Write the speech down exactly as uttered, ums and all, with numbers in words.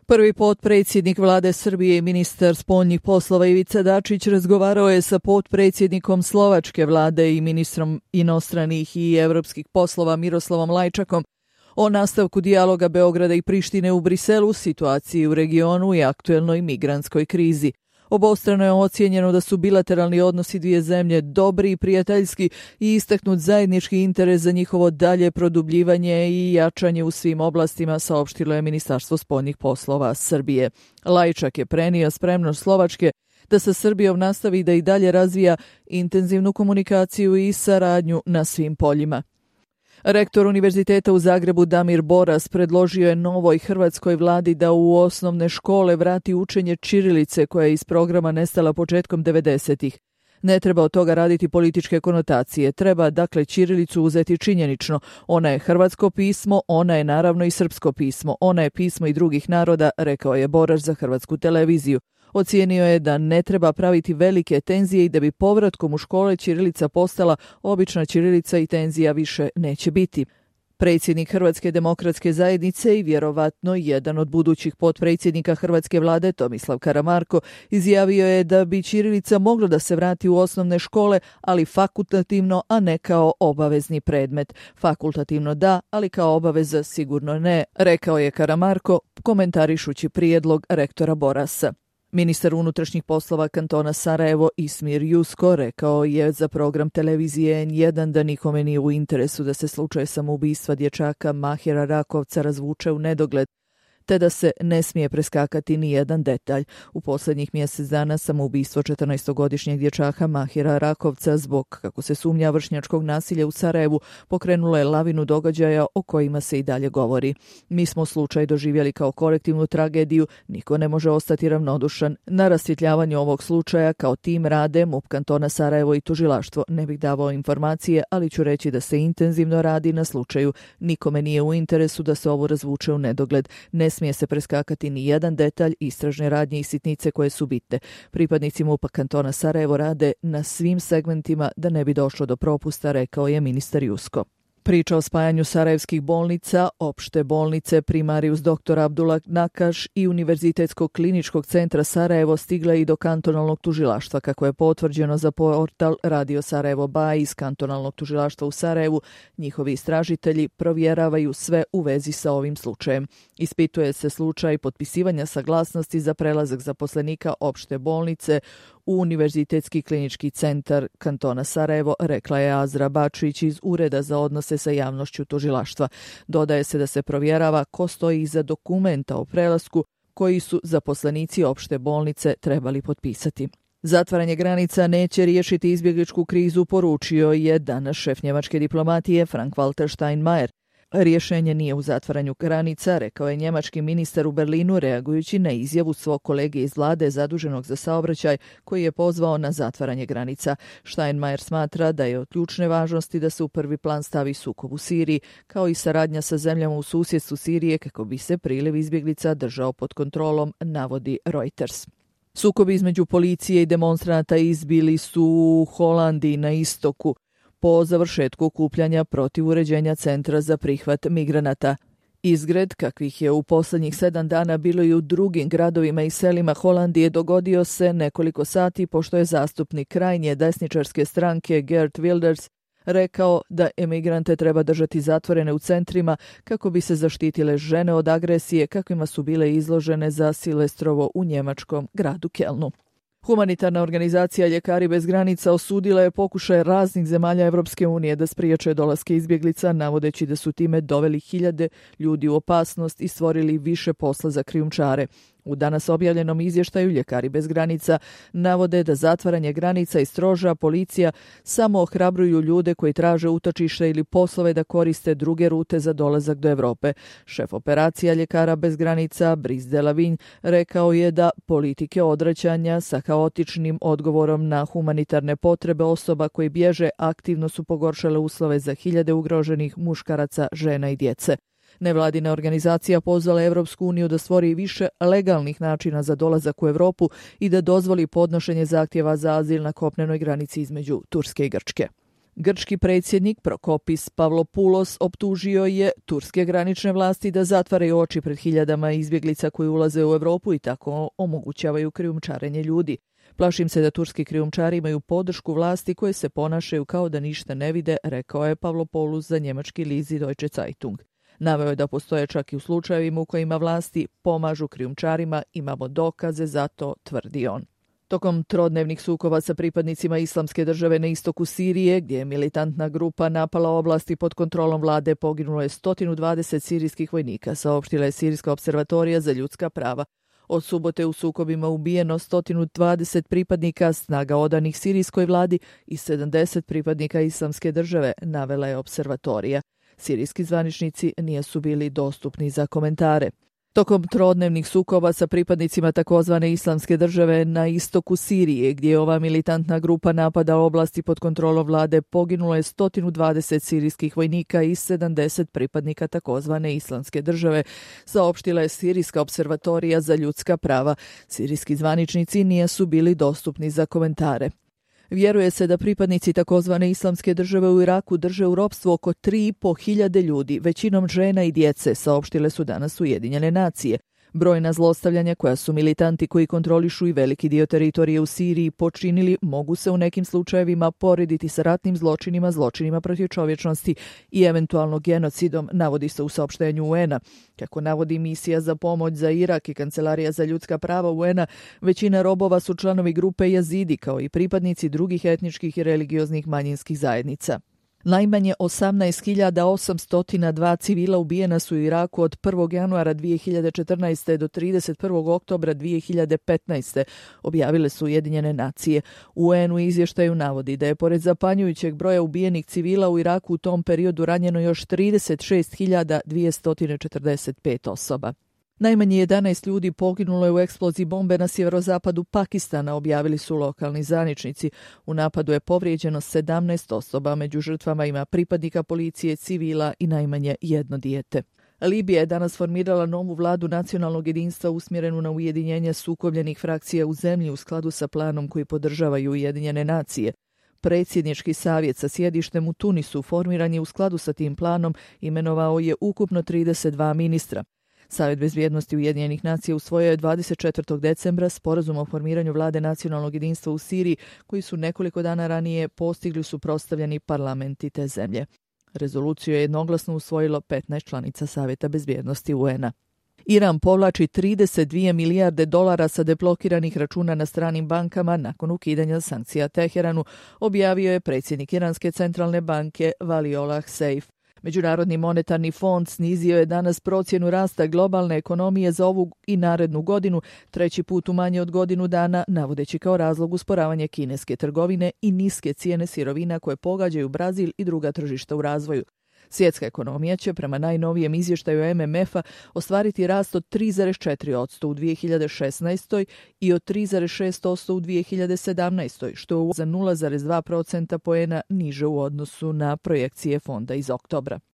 Prvi potpredsjednik vlade Srbije i ministar spoljnih poslova Ivica Dačić razgovarao je sa potpredsjednikom slovačke vlade i ministrom inostranih i evropskih poslova Miroslavom Lajčakom o nastavku dijaloga Beograda i Prištine u Briselu, situaciji u regionu i aktuelnoj migrantskoj krizi. Obostrano je ocijenjeno da su bilateralni odnosi dvije zemlje dobri i prijateljski i istaknut zajednički interes za njihovo dalje produbljivanje i jačanje u svim oblastima, saopštilo je Ministarstvo spoljnih poslova Srbije. Lajčak je prenio spremnost Slovačke da sa Srbijom nastavi da i dalje razvija intenzivnu komunikaciju i saradnju na svim poljima. Rektor Univerziteta u Zagrebu Damir Boras predložio je novoj hrvatskoj vladi da u osnovne škole vrati učenje ćirilice koja je iz programa nestala početkom devedesetih. Ne treba od toga raditi političke konotacije, treba dakle ćirilicu uzeti činjenično. Ona je hrvatsko pismo, ona je naravno i srpsko pismo, ona je pismo i drugih naroda, rekao je Boras za Hrvatsku televiziju. Ocijenio je da ne treba praviti velike tenzije i da bi povratkom u škole ćirilica postala obična ćirilica i tenzija više neće biti. Predsjednik Hrvatske demokratske zajednice i vjerovatno jedan od budućih potpredsjednika hrvatske vlade Tomislav Karamarko izjavio je da bi ćirilica mogla da se vrati u osnovne škole, ali fakultativno, a ne kao obavezni predmet. Fakultativno da, ali kao obaveza sigurno ne, rekao je Karamarko, komentarišući prijedlog rektora Borasa. Ministar unutrašnjih poslova kantona Sarajevo Ismir Jusko rekao je za program televizije en jedan da nikome nije u interesu da se slučaj samoubistva dječaka Mahira Rakovca razvuče u nedogled, te da se ne smije preskakati ni jedan detalj. U posljednjih mjesec dana samoubistvo četrnaestogodišnjeg dječaka Mahira Rakovca zbog, kako se sumnja, vršnjačkog nasilja u Sarajevu pokrenulo je lavinu događaja o kojima se i dalje govori. Mi smo slučaj doživjeli kao kolektivnu tragediju, niko ne može ostati ravnodušan. Na rasvjetljavanju ovog slučaja kao tim rade MUP kantona Sarajevo i tužilaštvo. Ne bih davao informacije, ali ću reći da se intenzivno radi na slučaju. Nikome nije u interesu da se ovo razvuče u nedogled. Ne smije se preskakati ni jedan detalj, istražne radnje i sitnice koje su bitne. Pripadnici MUP-a kantona Sarajevo rade na svim segmentima da ne bi došlo do propusta, rekao je ministar Jusko. Priča o spajanju sarajevskih bolnica, opšte bolnice Primarius doktor Abdullah Nakaš i Univerzitetskog kliničkog centra Sarajevo stigla i do kantonalnog tužilaštva, kako je potvrđeno za portal Radio Sarajevo Baj iz kantonalnog tužilaštva u Sarajevu. Njihovi istražitelji provjeravaju sve u vezi sa ovim slučajem. Ispituje se slučaj potpisivanja saglasnosti za prelazak zaposlenika opšte bolnice u Univerzitetski klinički centar kantona Sarajevo, rekla je Azra Bačić iz Ureda za odnose sa javnošću tužilaštva. Dodaje se da se provjerava ko stoji iza dokumenta o prelasku koji su zaposlenici opšte bolnice trebali potpisati. Zatvaranje granica neće riješiti izbjegličku krizu, poručio je danas šef njemačke diplomatije Frank-Walter Steinmeier. Rješenje nije u zatvaranju granica, rekao je njemački ministar u Berlinu, reagujući na izjavu svog kolege iz vlade zaduženog za saobraćaj koji je pozvao na zatvaranje granica. Steinmeier smatra da je od ključne važnosti da se u prvi plan stavi sukob u Siriji, kao i saradnja sa zemljama u susjedstvu Sirije kako bi se priliv izbjeglica držao pod kontrolom, navodi Reuters. Sukobi između policije i demonstranata izbili su u Holandiji na istoku po završetku okupljanja protiv uređenja centra za prihvat migranata. Izgred, kakvih je u posljednjih sedam dana bilo i u drugim gradovima i selima Holandije, dogodio se nekoliko sati pošto je zastupnik krajnje desničarske stranke Geert Wilders rekao da emigrante treba držati zatvorene u centrima kako bi se zaštitile žene od agresije kakvima su bile izložene za Silvestrovo u njemačkom gradu Kelnu. Humanitarna organizacija Ljekari bez granica osudila je pokušaj raznih zemalja Evropske unije da spriječe dolaske izbjeglica, navodeći da su time doveli hiljade ljudi u opasnost i stvorili više posla za krijumčare. U danas objavljenom izvještaju Ljekari bez granica navode da zatvaranje granica i stroža policija samo ohrabruju ljude koji traže utočište ili poslove da koriste druge rute za dolazak do Evrope. Šef operacija Ljekara bez granica Brice Delavigne rekao je da politike odvraćanja sa haotičnim odgovorom na humanitarne potrebe osoba koji bježe aktivno su pogoršale uslove za hiljade ugroženih muškaraca, žena i djece. Nevladina organizacija pozvala Evropsku uniju da stvori više legalnih načina za dolazak u Evropu i da dozvoli podnošenje zahtjeva za azil na kopnenoj granici između Turske i Grčke. Grčki predsjednik Prokopis Pavlopoulos optužio je turske granične vlasti da zatvaraju oči pred hiljadama izbjeglica koji ulaze u Europu i tako omogućavaju krijumčarenje ljudi. Plašim se da turski krijumčari imaju podršku vlasti koje se ponašaju kao da ništa ne vide, rekao je Pavlopoulos za njemački list Deutsche Zeitung. Naveo je da postoje čak i u slučajevima u kojima vlasti pomažu krijumčarima, imamo dokaze za to, tvrdi on. Tokom trodnevnih sukoba sa pripadnicima Islamske države na istoku Sirije, gdje je militantna grupa napala oblasti pod kontrolom vlade, poginulo je sto dvadeset sirijskih vojnika, saopštila je Sirijska observatorija za ljudska prava. Od subote u sukobima ubijeno sto dvadeset pripadnika snaga odanih sirijskoj vladi i sedamdeset pripadnika Islamske države, navela je observatorija. Sirijski zvaničnici nisu bili dostupni za komentare. Tokom trodnevnih sukoba sa pripadnicima takozvane Islamske države na istoku Sirije, gdje je ova militantna grupa napada oblasti pod kontrolom vlade, poginulo je sto dvadeset sirijskih vojnika i sedamdeset pripadnika takozvane Islamske države, saopštila je Sirijska observatorija za ljudska prava. Sirijski zvaničnici nisu bili dostupni za komentare. Vjeruje se da pripadnici takozvane Islamske države u Iraku drže u ropstvu oko tri i po hiljade ljudi, većinom žena i djece, saopštile su danas Ujedinjene nacije. Brojna zlostavljanja koja su militanti koji kontrolišu i veliki dio teritorije u Siriji počinili mogu se u nekim slučajevima porediti sa ratnim zločinima, zločinima protiv čovječnosti i eventualno genocidom, navodi se u saopštenju U N-a. Kako navodi misija za pomoć za Irak i Kancelarija za ljudska prava U N-a, većina robova su članovi grupe Jazidi kao i pripadnici drugih etničkih i religioznih manjinskih zajednica. Najmanje osamnaest hiljada osamsto dva civila ubijena su u Iraku od prvog januara dvije hiljade četrnaeste. do trideset prvog oktobra dvije hiljade petnaeste. objavile su Ujedinjene nacije. U N U izvještaju navodi da je pored zapanjujućeg broja ubijenih civila u Iraku u tom periodu ranjeno još trideset šest hiljada dvjesto četrdeset pet osoba. Najmanje jedanaest ljudi poginulo je u eksploziji bombe na sjeverozapadu Pakistana, objavili su lokalni zvaničnici. U napadu je povrijeđeno sedamnaest osoba, među žrtvama ima pripadnika policije, civila i najmanje jedno dijete. Libija je danas formirala novu vladu nacionalnog jedinstva usmjerenu na ujedinjenje sukobljenih frakcija u zemlji u skladu sa planom koji podržavaju Ujedinjene nacije. Predsjednički savjet sa sjedištem u Tunisu formiran je u skladu sa tim planom, imenovao je ukupno trideset dva ministra. Savjet bezbjednosti Ujedinjenih nacija usvojio je dvadeset četvrtog decembra sporazum o formiranju vlade nacionalnog jedinstva u Siriji, koji su nekoliko dana ranije postigli suprotstavljeni parlamenti te zemlje. Rezoluciju je jednoglasno usvojilo petnaest članica Savjeta bezbjednosti U N-a. Iran povlači trideset dvije milijarde dolara sa deblokiranih računa na stranim bankama nakon ukidanja sankcija Teheranu, objavio je predsjednik Iranske centralne banke Valiollah Saif. Međunarodni monetarni fond snizio je danas procjenu rasta globalne ekonomije za ovu i narednu godinu, treći put u manje od godinu dana, navodeći kao razlog usporavanje kineske trgovine i niske cijene sirovina koje pogađaju Brazil i druga tržišta u razvoju. Svjetska ekonomija će prema najnovijem izvještaju M M F-a ostvariti rast od tri zarez četiri posto u dvije hiljade šesnaestoj. i od tri zarez šest posto u dvije hiljade sedamnaestoj. što je za nula zarez dva procentna poena niže u odnosu na projekcije fonda iz oktobra.